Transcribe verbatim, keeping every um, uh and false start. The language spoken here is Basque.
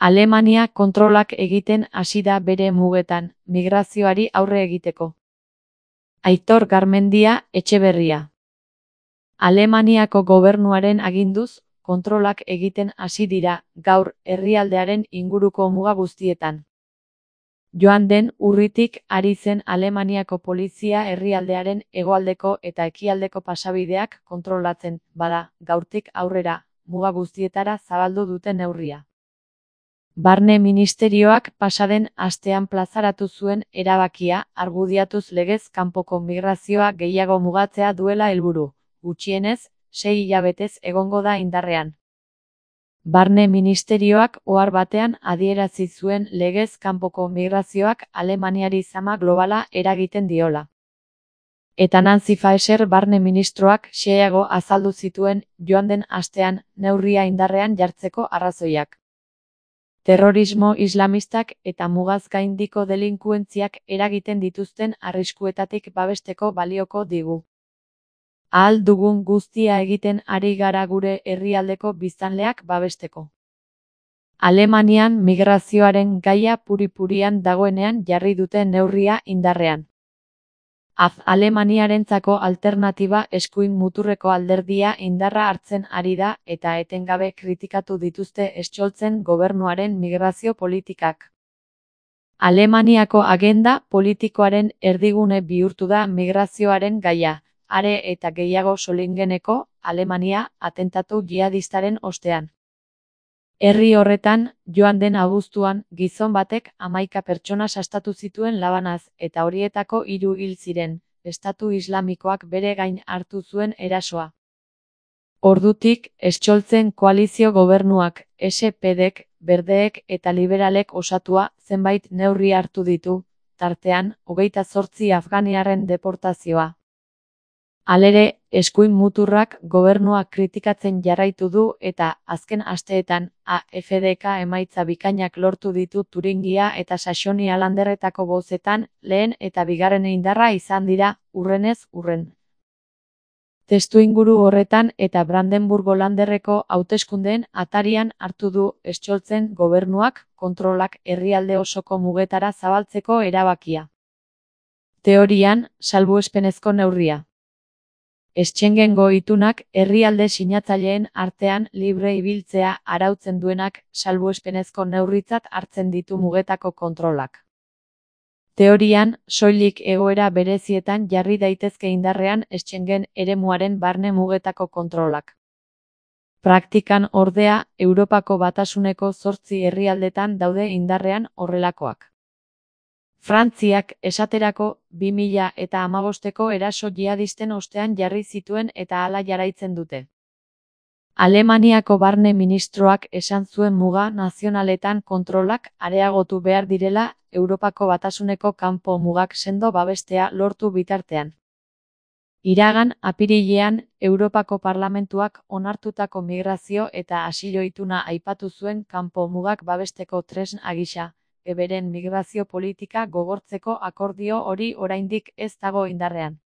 Alemania kontrolak egiten hasi da bere mugetan, migrazioari aurre egiteko. Aitor Garmendia Etxeberria. Alemaniako gobernuaren aginduz, kontrolak egiten hasi dira, gaur, herrialdearen inguruko muga guztietan. Joan den urritik ari zen Alemaniako polizia herrialdearen hegoaldeko eta ekialdeko pasabideak kontrolatzen, bada, gaurtik aurrera, muga guztietara zabaldu dute neurria. Barne Ministerioak pasaden astean plazaratu zuen erabakia, argudiatuz legez kanpoko migrazioa gehiago mugatzea duela helburu, gutxienez, sei hilabetez egongo da indarrean. Barne Ministerioak ohar batean adierazi zuen legez kanpoko migrazioak Alemaniari zama globala eragiten diola. Eta Nancy Faeser barne ministroak xeheago azaldu zituen joan den astean neurria indarrean jartzeko arrazoiak. Terrorismo islamistak eta mugaz gaindiko delinkuentziak eragiten dituzten arriskuetatik babesteko balioko digu. Ahal dugun guztia egiten ari gara gure herrialdeko biztanleak babesteko. Alemanian migrazioaren gaia puri-purian dagoenean jarri dute neurria indarrean. Az Alemaniarentzako alternatiba eskuin muturreko alderdia indarra hartzen ari da eta etengabe kritikatu dituzte Scholzen gobernuaren migrazio politikak. Alemaniako agenda politikoaren erdigune bihurtu da migrazioaren gaia, are eta gehiago Solingeneko, Alemania, atentatu jihadistaren ostean. Herri horretan, joan den abuztuan, gizon batek hamaika pertsona sastatu zituen labanaz, eta horietako hiru hil ziren, Estatu Islamikoak bere gain hartu zuen erasoa. Ordutik, Scholzen koalizio gobernuak, S P Dek, Berdeek eta Liberalek osatua, zenbait neurri hartu ditu, tartean, hogeita zortzi afganiarren deportazioa. Halere, eskuin muturrak gobernuak kritikatzen jarraitu du eta, azken asteetan, A F D K emaitza bikainak lortu ditu Turingia eta Saxonia landerretako bozetan, lehen eta bigarren indarra izan dira, hurrenez hurren. Testuinguru horretan eta Brandenburgo landerreko hauteskundeen atarian hartu du Scholzen gobernuak kontrolak herrialde osoko mugetara zabaltzeko erabakia. Teorian, salbuespenezko neurria. Schengengo itunak herrialde sinatzaileen artean libre ibiltzea arautzen duenak salbuespenezko neurritzat hartzen ditu mugetako kontrolak. Teorian, soilik egoera berezietan jarri daitezke indarrean Schengen eremuaren barne mugetako kontrolak. Praktikan ordea, Europako Batasuneko zortzi herrialdetan daude indarrean horrelakoak. Frantziak, esaterako, bi mila eta hamabosteko eraso jihadisten ostean jarri zituen eta hala jarraitzen dute. Alemaniako barne ministroak esan zuen muga nazionaletan kontrolak areagotu behar direla Europako Batasuneko kanpo mugak sendo babestea lortu bitartean. Iragan apirilean, Europako Parlamentuak onartutako migrazio eta asilo ituna aipatu zuen kanpo mugak babesteko tresna gisa, eberen migrazio politika gogortzeko akordio hori oraindik ez dago indarrean.